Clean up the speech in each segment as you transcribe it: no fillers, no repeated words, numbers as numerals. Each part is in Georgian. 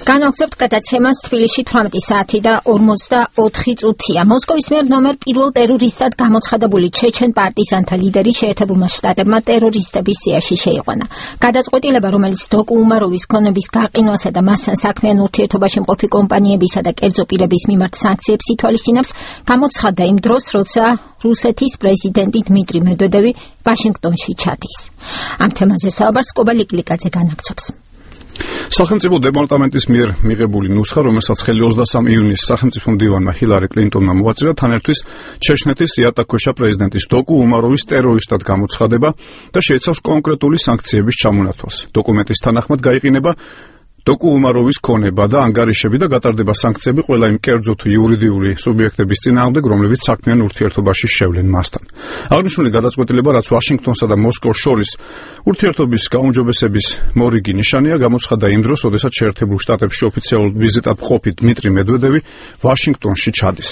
განვაგრძობთ გადაცემას თბილისში 18 საათი და 44 წუთია. მოსკოვის მიერ ნომერ პირველ ტერორისტად გამოცხადებული ჩეჩენ პარტიზანთა ლიდერი შეერთებულმა შტატებმა ტერორისტების სიაში შეიყვანა. გადაწყვეტილება, რომელიც დოკუ უმაროვის ქონების გაყინვასა და მასთან საქმიან ურთიერთობაში მყოფი კომპანიებისა და კერძო პირების მიმართ სანქციებს ითვალისწინებს, გამოცხადდა იმ დროს, როცა რუსეთის პრეზიდენტი დმიტრი მედვედევი ვაშინგტონში ჩადის. ამ თემაზე საუბარს კობა ლიკლიკაძე განაგრძობს. სახელმწიფო დეპარტამენტის მიერ მიღებული ნუსხა, რომელსაც ხელი 23 ივნისს სახელმწიფო მდივანმა ჰილარი კლინტონმა მოაწერა, თან ერთვის ჩეჩნეთის იატაკქვეშა პრეზიდენტის დოკუ უმაროვის ტერორისტად გამოცხადება და შეიცავს კონკრეტული სანქციების ჩამონათვალს. დოკუმენტის თანახმად გაიყინება დოკუ უმაროვის ქონება და ანგარიშები და გატარდება სანქციები ყველა იმ კერძო თუ იურიდიული სუბიექტების წინააღმდეგ, რომლებიც საქმიან ურთიერთობაში შევლენ მასთან. აღნიშნული გადაწყვეტილება, რაც ვაშინგტონსა და მოსკოვს შორის ურთიერთობის გაუმჯობესების მორიგი ნიშანია, გამოცხადდა იმ დროს, როდესაც შეერთებულ შტატებში ოფიციალურ ვიზიტად მყოფი დმიტრი მედვედევი ვაშინგტონში ჩადის.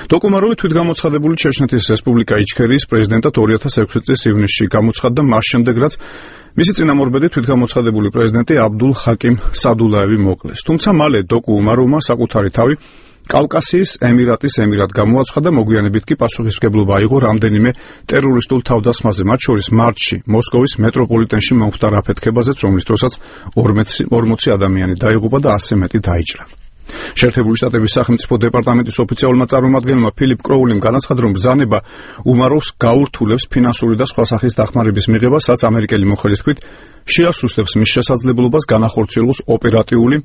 დოკუ უმაროვი თვითგამოცხადებული ჩეჩნეთის რესპუბლიკა იჩქერიის პრეზიდენტად 2006 წლის ივნისში გამოცხადდა მას შემდეგ, რაც მისი წინამორბედი თვითგამოცხადებული პრეზიდენტი აბდულ ხაკიმ სადულაევი მოკლეს. თუმცა მალე დოკუ უმაროვმა საკუთარი თავი კავკასიის ემირატის ემირად გამოაცხადა, მოგვიანებით კი პასუხისმგებლობა აიღო რამდენიმე ტერორისტულ თავდასხმაზე, მათ შორის მარტში მოსკოვის მეტროპოლიტენში მომხდარ აფეთქებაზეც, რომლის დროსაც 40 ადამიანი დაიღუპა და 100 მეტი დაიჭრა. შეერთებული შტატების სახელმწიფო დეპარტამენტის ოფიციალურმა წარმომადგენელმა ფილიპ კროულიმ განაცხადა, რომ ბრძანება უმაროვს გაურთულებს ფინანსური და სხვა სახის დახმარების მიღებას, რაც ამერიკელი მოხელის თქმით შეასუსტებს მის შესაძლებლობას განახორციელოს ოპერატიული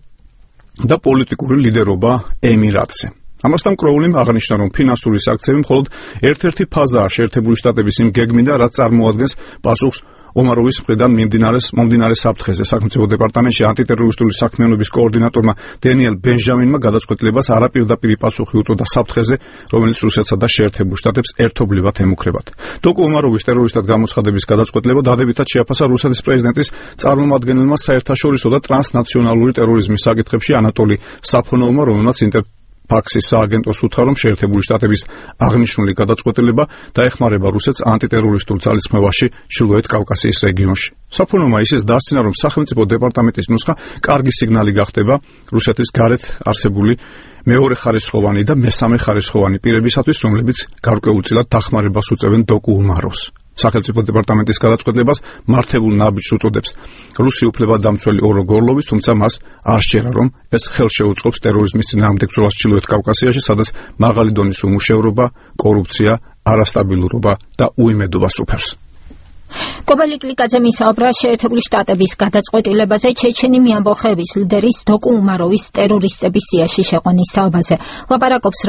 და პოლიტიკური ლიდერობა ემირატზე. ამასთან კროულიმ აღნიშნა, რომ ფინანსური სანქციები მხოლოდ ერთ-ერთი ფაზაა შეერთებული შტატების იმ გეგმიდან, რაც წარმოადგენს პასუხს ომაროვის მხრიდან მომდინარე საფრთხეზე. სახელმწიფო დეპარტამენტში ანტიტერორისტული საქმიანობის კოორდინატორმა დენიელ ბენჟამინმა გადაწყვეტილებას არაპირდაპირი პასუხი უწოდა საფრთხეზე, რომელიც რუსეთსა და შეერთებულ შტატებს ერთობლივად ემუქრებათ. დოკუ უმაროვის ტერორისტად გამოცხადების გადაწყვეტილება დადებითად შეაფასა რუსეთის პრეზიდენტის წარმომადგენელმა საერთაშორისო და ტრანსნაციონალური ტერორიზმის საკითხებში ანატოლი საფონოვმა, რომელმაც ფაქსის სააგენტოს უთხრა, რომ შეერთებული შტატების აღნიშნული გადაწყვეტილება დაეხმარება რუსეთს ანტიტერორისტულ ძალისხმევაში ჩრდილოეთ კავკასიის რეგიონში. საფონოვმა ისიც დასცინა, რომ სახელმწიფო დეპარტამენტის ნუსხა კარგი სიგნალი გახდება რუსეთის გარეთ არსებული მეორე ხარისხოვანი და მესამე ხარისხოვანი პირებისათვის, რომლებიც გარკვეულწილად დახმარებას უწევენ დოკუ უმაროვს. სახელმწიფო დეპარტამენტის გადაწყვეტილებას მართებულ ნაბიჯს უწოდებს რუსი უფლებადამცველი ორო გორლოვის, თუმცა მას არ სჯერა, რომ ეს ხელშეუწყობს ტერორიზმის წინააღმდეგ ბრძოლას ჩრდილოეთ კავკასიაში, სადაც მაღალი დონის უმუშევრობა, კორუფცია, არასტაბილურობა და უიმედობა სუფევს. კობა ლიკლიკაძე მისაუბრა შეერთებული შტატების გადაწყვეტილებაზე ჩეჩენი ამბოხების ლიდერის დოკუ უმაროვის ტერორისტების სიაში შეყვანის თაობაზე. ლაპარაკობს